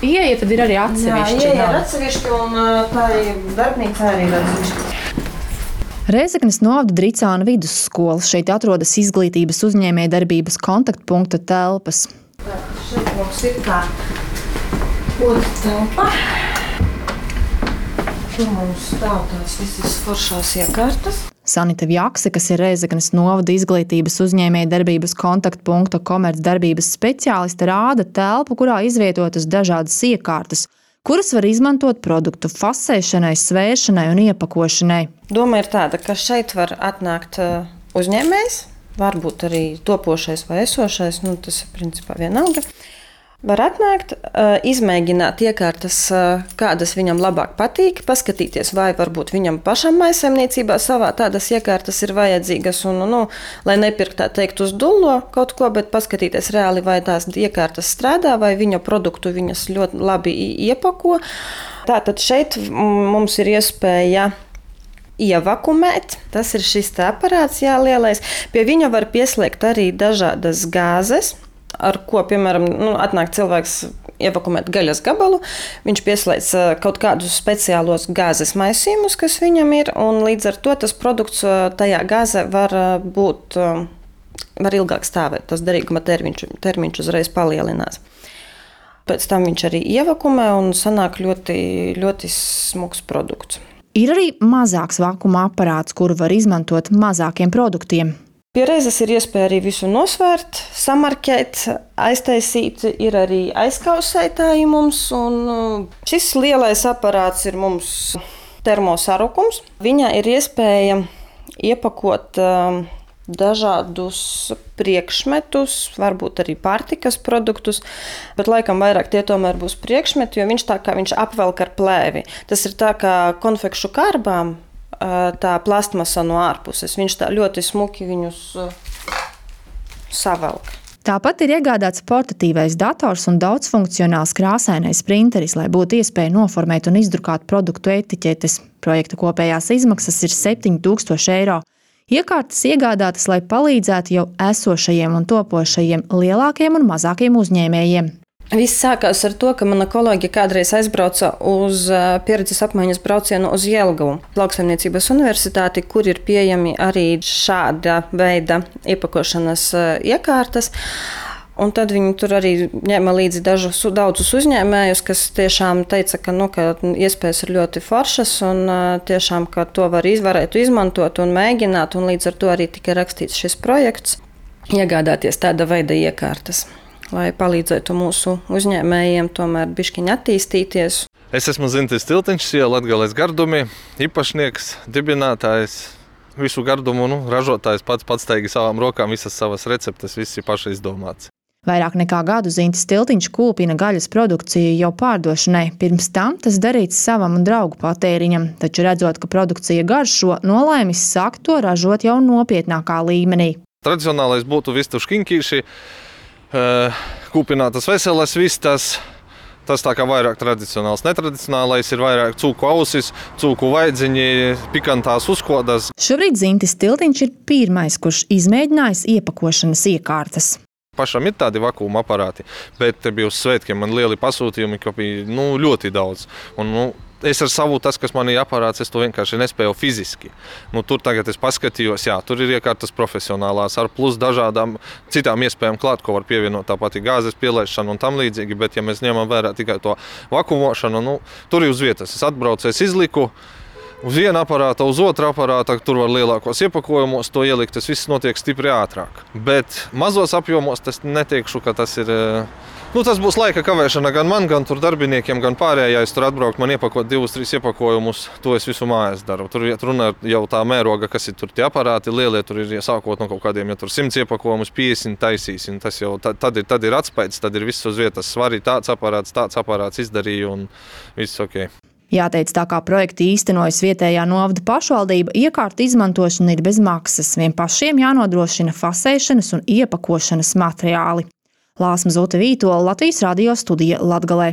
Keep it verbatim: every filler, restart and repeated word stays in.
ieeja tad ir arī atsevišķi. Jā, ieeja ir atsevišķi un tā darbnīca arī ir atsevišķi. Rēzeknes novada Dricāna vidusskola. Šeit atrodas izglītības uzņēmējdarbības kontaktpunkta telpas. Tā, šeit mums ir tā otra telpa. Tur mums stāv tās visas foršās iekārtas. Sanita Vjakse, kas ir Rēzeknes novada izglītības uzņēmējdarbības kontaktpunkta komercdarbības speciāliste, rāda telpu, kurā izvietotas dažādas iekārtas, kuras var izmantot produktu fasēšanai, svēršanai un iepakošanai. Doma ir tāda, ka šeit var atnākt uzņēmējs, varbūt arī topošais vai esošais, nu tas ir principā vienalga. Var atnākt, izmēģināt iekārtas, kādas viņam labāk patīk, paskatīties, vai varbūt viņam pašam mājsaimniecībā savā tādas iekārtas ir vajadzīgas, un, nu, lai nepirkt tā teikt uz dullo kaut ko, bet paskatīties reāli, vai tās iekārtas strādā, vai viņa produktu viņas ļoti labi iepako. Tātad šeit mums ir iespēja ievakumēt. Tas ir šis tā aparāts, jā, lielais. Pie viņa var pieslēgt arī dažādas gāzes, ar ko, piemēram, nu, atnāk cilvēks ievakumēt gaļas gabalu. Viņš pieslēdz kaut kādus speciālos gāzes maisījumus, kas viņam ir, un līdz ar to tas produkts tajā gāzē var būt, var ilgāk stāvēt. Tas derīguma termiņš, termiņš uzreiz palielinās. Pēc tam viņš arī ievakumē un sanāk ļoti, ļoti smuks produkts. Ir arī mazāks vakuma aparāts, kuru var izmantot mazākiem produktiem. Pie reizes ir iespēja arī visu nosvērt, samarkēt, aiztaisīt, ir arī aizkausētāji mums, un šis lielais aparāts ir mums termosarukums. Viņā ir iespēja iepakot dažādus priekšmetus, varbūt arī pārtikas produktus, bet laikam vairāk tie tomēr būs priekšmeti, jo viņš tā kā viņš apvelk ar plēvi. Tas ir tā kā konfekšu kārbām, tā plastmasa no ārpuses. Viņš tā ļoti smuki viņus savelk. Tāpat ir iegādāts portatīvais dators un daudzfunkcionāls krāsainais printeris, lai būtu iespēja noformēt un izdrukāt produktu etiķetes. Projekta kopējās izmaksas ir septiņi tūkstoši eiro. Iekārtas iegādātas, lai palīdzētu jau esošajiem un topošajiem lielākiem un mazākiem uzņēmējiem. Viss sākās ar to, ka mana kolēģe kādreiz aizbrauca uz pieredzes apmaiņas braucienu uz Jelgavu Lauksaimniecības universitāti, kur ir pieejami arī šāda veida iepakošanas iekārtas. Un tad viņi tur arī ņēma līdzi dažus daudzus uzņēmējus, kas tiešām teica, ka, nu, ka iespējas ir ļoti foršas un tiešām, ka to var izvarētu izmantot un mēģināt. Un līdz ar to arī tika rakstīts šis projekts iegādāties tāda veida iekārtas, lai palīdzētu mūsu uzņēmējiem tomēr bišķiņ attīstīties. Es esmu Zintis Tiltiņš, Latgales gardumi, īpašnieks, dibinātājs, visu gardumu nu, ražotājs pats patsteigi savām rokām, visas savas receptes, viss ir paši izdomāts. Vairāk nekā gadu Zintis Tiltiņš kūpina gaļas produkciju jau pārdošanai. Pirms tam tas darīts savam un draugu patēriņam, taču redzot, ka produkcija garšo, nolēmis sākt to ražot jau nopietnākā līmenī. Tradicionālais būtu vistu škiņķīši, kūpinātas veselas vistas, tas tā kā vairāk tradicionāls. Netradicionālais ir vairāk cūku ausis, cūku vaidziņi, pikantās uzkodas. Šobrīd Zintis Tiltiņš ir pirmais, kurš izmēģinājis iepakošanas iekārtas. Pašam ir tādi vakuma aparāti, bet te bija uz svētkiem man lieli pasūtījumi, ka bija nu, ļoti daudz. Un, nu, es ar savu, tas, kas man ir aparāts, es to vienkārši nespēju fiziski. Nu, tur tagad es paskatījos, jā, tur ir iekārtas profesionālās ar plus dažādām citām iespējām klāt, ko var pievienot tāpat gāzes pielaišanu un tam līdzīgi, bet ja mēs ņemam vērā tikai to vakumošanu, nu, tur ir uz vietas. Es atbraucu, es izliku uz vienu aparātu, uz otru aparātu, tur var lielākos iepakojumos to ielikt, tas viss notiek stipri ātrāk. Bet mazos apjomos tas neteikšu, ka tas ir... Nu, tas būs laika kavēšana gan man, gan tur darbiniekiem, gan pārējais. Tur atbraukt man iepakot divus, trīs iepakojumus, to es visu mājās daru. Tur runa jau tā mēroga, kas ir tur tie aparāti lielie, tur ir sākot no kaut kādiem, ja tur simts iepakojumus, piecdesmit taisīsim. Tas jau tad ir, tad ir atspējas, tad ir viss uz vietas. Svarīgi tāds aparāts, tāds aparāts izdarīja un viss ok. Jāteic, tā kā projekti īstenojas vietējā novada pašvaldība, iekārtu izmantošana ir bez maksas. Vien pašiem jānodrošina fasēšanas un iepakošanas materiāli. Lāsma Zute Vītola, Latvijas radio studija Latgalē.